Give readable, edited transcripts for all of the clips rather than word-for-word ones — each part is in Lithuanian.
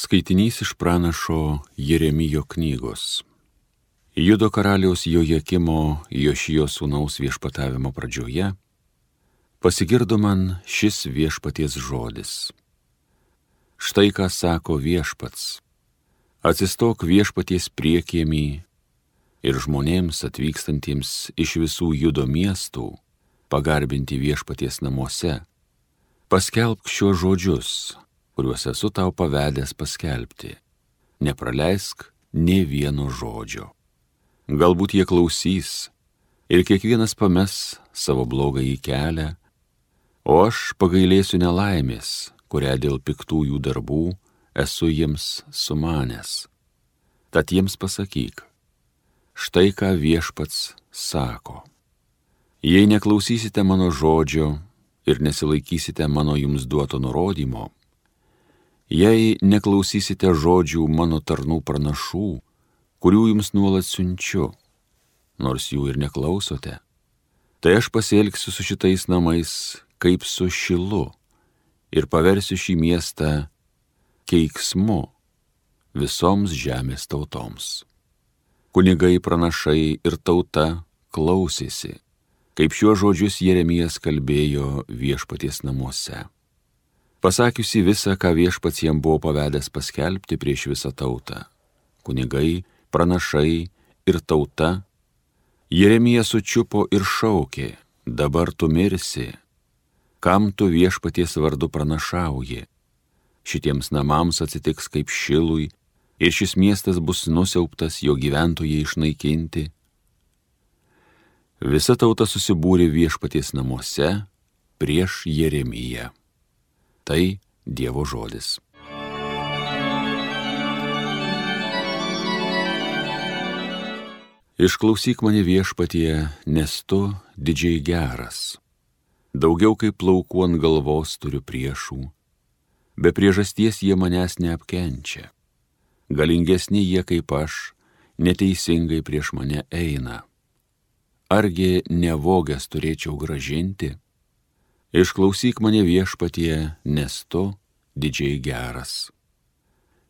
Skaitinys iš pranašo Jeremijo knygos. Judo karaliaus Jojakimo Jošijo sūnaus viešpatavimo pradžioje pasigirdo man šis viešpaties žodis. Štai ką sako viešpats: atsistok viešpaties priekiemį ir žmonėms atvykstantiems iš visų Judo miestų pagarbinti viešpaties namuose, paskelbk šiuos žodžius, kuriuos esu tau pavedęs paskelbti. Nepraleisk nė vieno žodžio. Galbūt jie klausys ir kiekvienas pames savo blogąjį kelią, o aš pagailėsiu nelaimės, kurią dėl piktųjų darbų esu jiems sumanęs. Tad jiems pasakyk, štai ką viešpats sako. Jei neklausysite mano žodžio ir nesilaikysite mano jums duoto nurodymo, jei neklausysite žodžių mano tarnų pranašų, kurių jums nuolat siunčiu, nors jų ir neklausote, tai aš pasielgsiu su šitais namais kaip su Šilu ir paversiu šį miestą keiksmu visoms žemės tautoms. Kunigai, pranašai ir tauta klausėsi, kaip šiuos žodžius Jeremijas kalbėjo viešpaties namuose. Pasakiusi visą, ką viešpats jam buvo pavedęs paskelbti prieš visą tautą, kunigai, pranašai ir tauta, Jeremija sučiupo ir šaukė: dabar tu mirsi, kam tu viešpaties vardu pranašauji? Šitiems namams atsitiks kaip Šilui ir šis miestas bus nusiaubtas, jo gyventojai išnaikinti. Visa tauta susibūrė viešpaties namuose prieš Jeremiją. Tai Dievo žodis. Išklausyk mane viešpatie, nes tu didžiai geras. Daugiau kaip plaukų ant galvos turiu priešų. Be priežasties jie manęs neapkenčia. Galingesni jie kaip aš, neteisingai prieš mane eina. Argi nevogęs turėčiau gražinti? Išklausyk mane viešpatie, nes tu didžiai geras.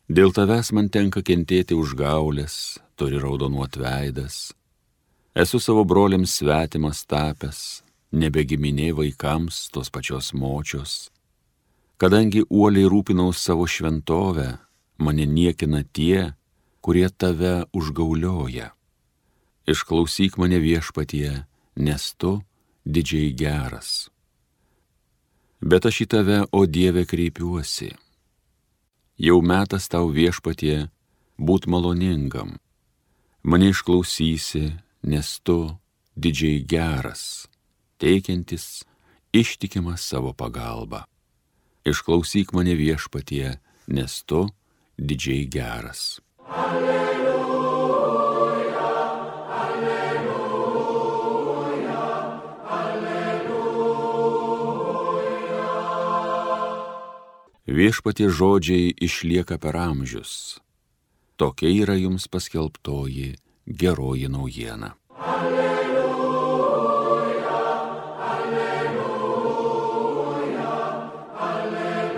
Dėl tavęs man tenka kentėti užgaulės, turi raudonuot veidas. Esu savo broliams svetimas tapęs, nebegiminė vaikams tos pačios močios. Kadangi uoliai rūpinaus savo šventovę, mane niekina tie, kurie tave užgaulioja. Išklausyk mane viešpatie, nes tu didžiai geras. Bet aš į tave, o Dieve, kreipiuosi. Jau metas tau viešpatie būt maloningam. Mane išklausysi, nes tu didžiai geras, teikiantis ištikimą savo pagalbą. Išklausyk mane viešpatie, nes tu didžiai geras. Viešpaties žodžiai išlieka per amžius. Tokia yra jums paskelbtoji geroji naujiena. Alleluja, alleluja, alleluja.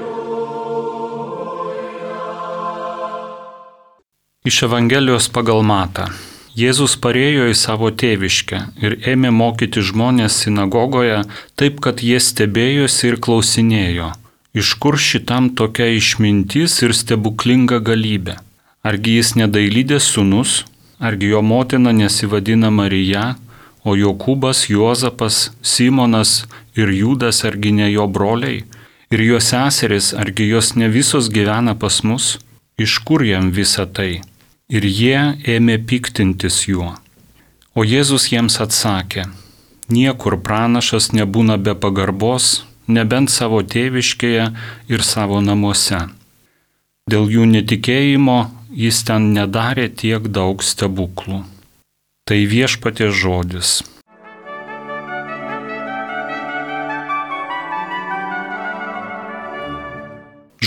Iš Evangelijos pagal Matą. Jėzus parėjo į savo tėviškę ir ėmė mokyti žmonės sinagogoje taip, kad jie stebėjosi ir klausinėjo: iš kur šitam tokia išmintis ir stebuklinga galybė? Argi jis nedailydės sūnus? Argi jo motina nesivadina Marija, o Jokūbas, Juozapas, Simonas ir Judas argi ne jo broliai? Ir jo seseris, argi jos ne visos gyvena pas mus? Iš kur jam visa tai? Ir jie ėmė piktintis juo. O Jėzus jiems atsakė: niekur pranašas nebūna be pagarbos, nebent savo tėviškėje ir savo namuose. Dėl jų netikėjimo jis ten nedarė tiek daug stebuklų. Tai viešpaties žodis.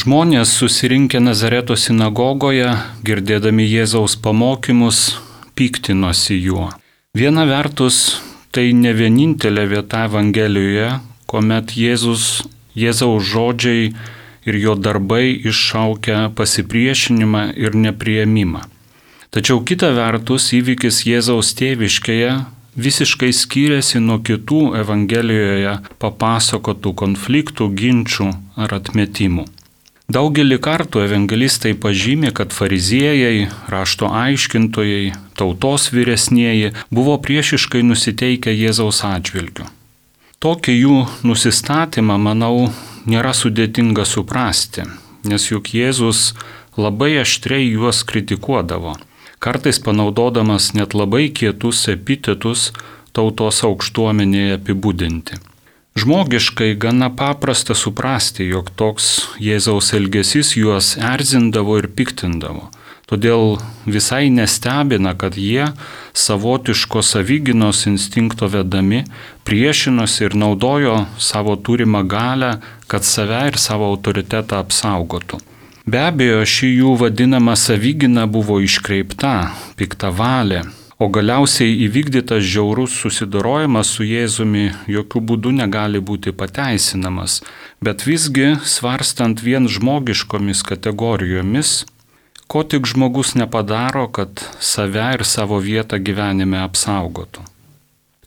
Žmonės susirinkę Nazareto sinagogoje, girdėdami Jėzaus pamokymus, piktinosi juo. Viena vertus, tai ne vienintelė vieta Evangelijoje, kuomet Jėzaus žodžiai ir jo darbai iššaukia pasipriešinimą ir nepriėmimą. Tačiau kita vertus įvykis Jėzaus tėviškėje visiškai skiriasi nuo kitų Evangelijoje papasakotų konfliktų, ginčių ar atmetimų. Daugelį kartų evangelistai pažymi, kad fariziejai, rašto aiškintojai, tautos vyresnieji buvo priešiškai nusiteikę Jėzaus atžvilgiu. Tokį jų nusistatymą, manau, nėra sudėtinga suprasti, nes juk Jėzus labai aštriai juos kritikuodavo, kartais panaudodamas net labai kietus epitetus tautos aukštuomenėje apibūdinti. Žmogiškai gana paprasta suprasti, jog toks Jėzaus elgesys juos erzindavo ir piktindavo. Todėl visai nestebina, kad jie savotiško savigynos instinkto vedami priešinosi ir naudojo savo turimą galią, kad save ir savo autoritetą apsaugotų. Be abejo, ši jų vadinama savigyna buvo iškreipta, piktavalė, o galiausiai įvykdytas žiaurus susidorojimas su Jėzumi jokių būdų negali būti pateisinamas, bet visgi, svarstant vien žmogiškomis kategorijomis, ko tik žmogus nepadaro, kad save ir savo vietą gyvenime apsaugotų.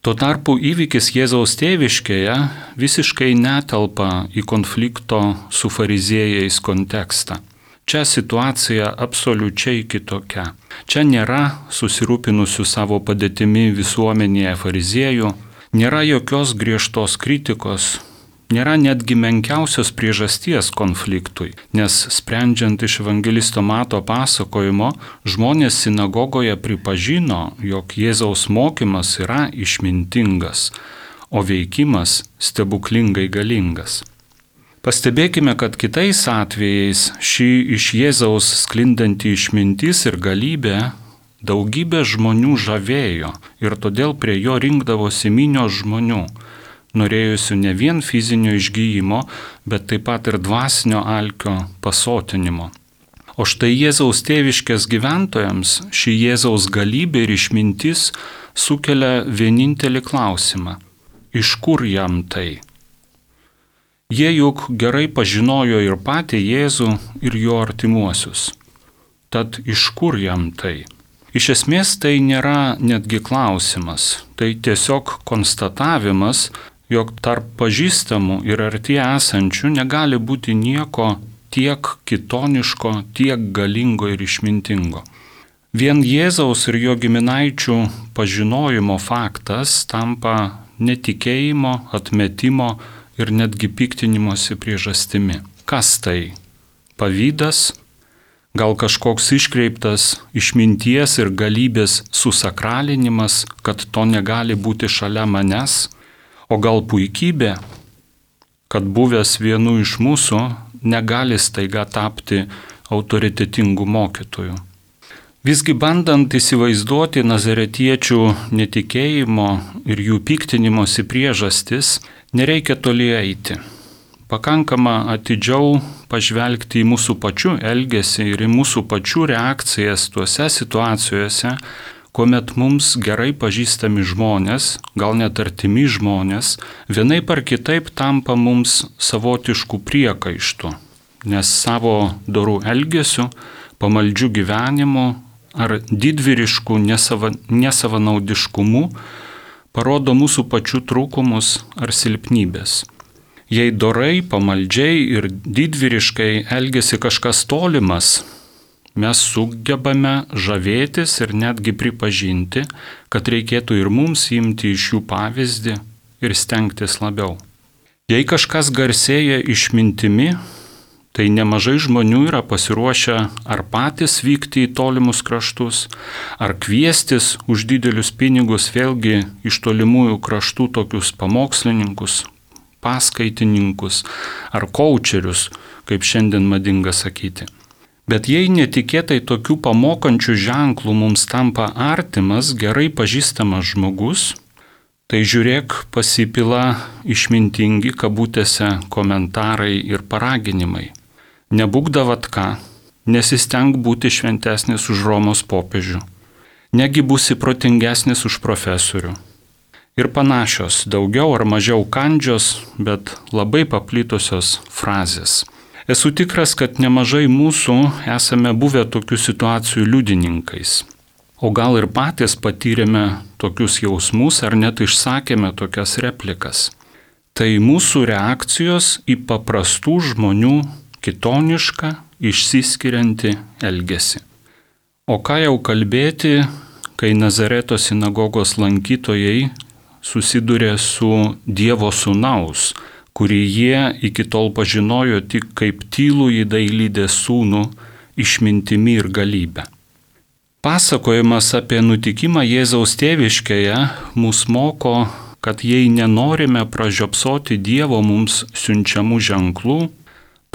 Tuo tarpu įvykis Jėzaus tėviškėje visiškai netelpa į konflikto su fariziejais kontekstą. Čia situacija absoliučiai kitokia. Čia nėra susirūpinusių savo padėtimi visuomenėje fariziejų, nėra jokios griežtos kritikos, nėra netgi menkiausios priežasties konfliktui, nes sprendžiant iš evangelisto Mato pasakojimo, žmonės sinagogoje pripažino, jog Jėzaus mokymas yra išmintingas, o veikimas stebuklingai galingas. Pastebėkime, kad kitais atvejais ši iš Jėzaus sklindanti išmintis ir galybė daugybę žmonių žavėjo ir todėl prie jo rinkdavosi minios žmonių, norėjusių ne vien fizinio išgyjimo, bet taip pat ir dvasinio alkio pasotinimo. O štai Jėzaus tėviškės gyventojams ši Jėzaus galybė ir išmintis sukelia vienintelį klausimą: iš kur jam tai? Jie juk gerai pažinojo ir patį Jėzų, ir jo artimuosius. Tad iš kur jam tai? Iš esmės tai nėra netgi klausimas, tai tiesiog konstatavimas, jog tarp pažįstamų ir arti esančių negali būti nieko tiek kitoniško, tiek galingo ir išmintingo. Vien Jėzaus ir jo giminaičių pažinojimo faktas tampa netikėjimo, atmetimo ir netgi piktinimosi priežastimi. Kas tai? Pavydas? Gal kažkoks iškreiptas išminties ir galybės susakralinimas, kad to negali būti šalia manęs? O gal puikybė, kad buvęs vienu iš mūsų negali staiga tapti autoritetingu mokytoju? Visgi bandant įsivaizduoti nazaretiečių netikėjimo ir jų piktinimosi priežastis, nereikia toli eiti. Pakankama atidžiau pažvelgti į mūsų pačių elgesį ir į mūsų pačių reakcijas tuose situacijose, kuomet mums gerai pažįstami žmonės, gal net artimi žmonės, vienaip ar kitaip tampa mums savotiškų priekaištų, nes savo dorų elgesiu, pamaldžių gyvenimu ar didvyriškų nesavanaudiškumu parodo mūsų pačių trūkumus ar silpnybės. Jei dorai, pamaldžiai ir didvyriškai elgesi kažkas tolimas, mes sugebame žavėtis ir netgi pripažinti, kad reikėtų ir mums imti iš jų pavyzdį ir stengtis labiau. Jei kažkas garsėja išmintimi, tai nemažai žmonių yra pasiruošę ar patys vykti į tolimus kraštus, ar kviestis už didelius pinigus vėlgi iš tolimųjų kraštų tokius pamokslininkus, paskaitininkus ar kaučerius, kaip šiandien madinga sakyti. Bet jei netikėtai tokių pamokančių ženklų mums tampa artimas, gerai pažįstamas žmogus, tai žiūrėk, pasipila išmintingi kabutėse komentarai ir paraginimai. Nebūk davatka, nesisteng būti šventesnis už Romos popiežių, negi būsi protingesnis už profesorių. Ir panašios, daugiau ar mažiau kandžios, bet labai paplitusios frazės. Esu tikras, kad nemažai mūsų esame buvę tokių situacijų liudininkais. O gal ir patys patyrėme tokius jausmus ar net išsakėme tokias replikas. Tai mūsų reakcijos į paprastų žmonių kitonišką, išsiskiriantį elgesį. O ką jau kalbėti, kai Nazareto sinagogos lankytojai susidūrė su Dievo sūnaus, kurį jie iki tol pažinojo tik kaip tylųjį dailydės sūnų, išmintimi ir galybę. Pasakojimas apie nutikimą Jėzaus tėviškėje mus moko, kad jei nenorime pražiopsoti Dievo mums siunčiamų ženklų,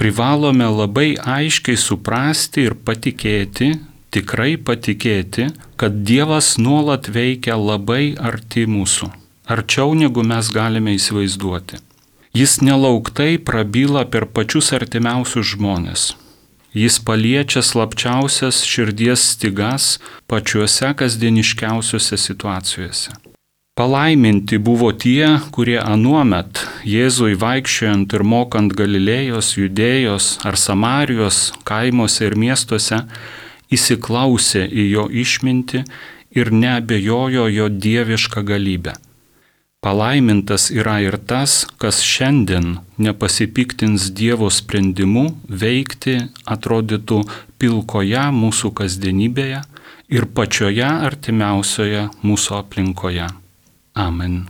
privalome labai aiškiai suprasti ir patikėti, tikrai patikėti, kad Dievas nuolat veikia labai arti mūsų, arčiau negu mes galime įsivaizduoti. Jis nelauktai prabyla per pačius artimiausius žmonės. Jis paliečia slapčiausias širdies stygas pačiuose kasdieniškiausiuose situacijose. Palaiminti buvo tie, kurie anuomet Jėzui vaikščiojant ir mokant Galilėjos, Judėjos ar Samarijos kaimuose ir miestuose įsiklausė į jo išmintį ir neabejojo jo dievišką galybę. Palaimintas yra ir tas, kas šiandien nepasipiktins Dievo sprendimu veikti atrodytų pilkoje mūsų kasdienybėje ir pačioje artimiausioje mūsų aplinkoje. Amen.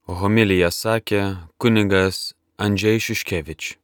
Homiliją sakė kunigas Andžej Šiškevič.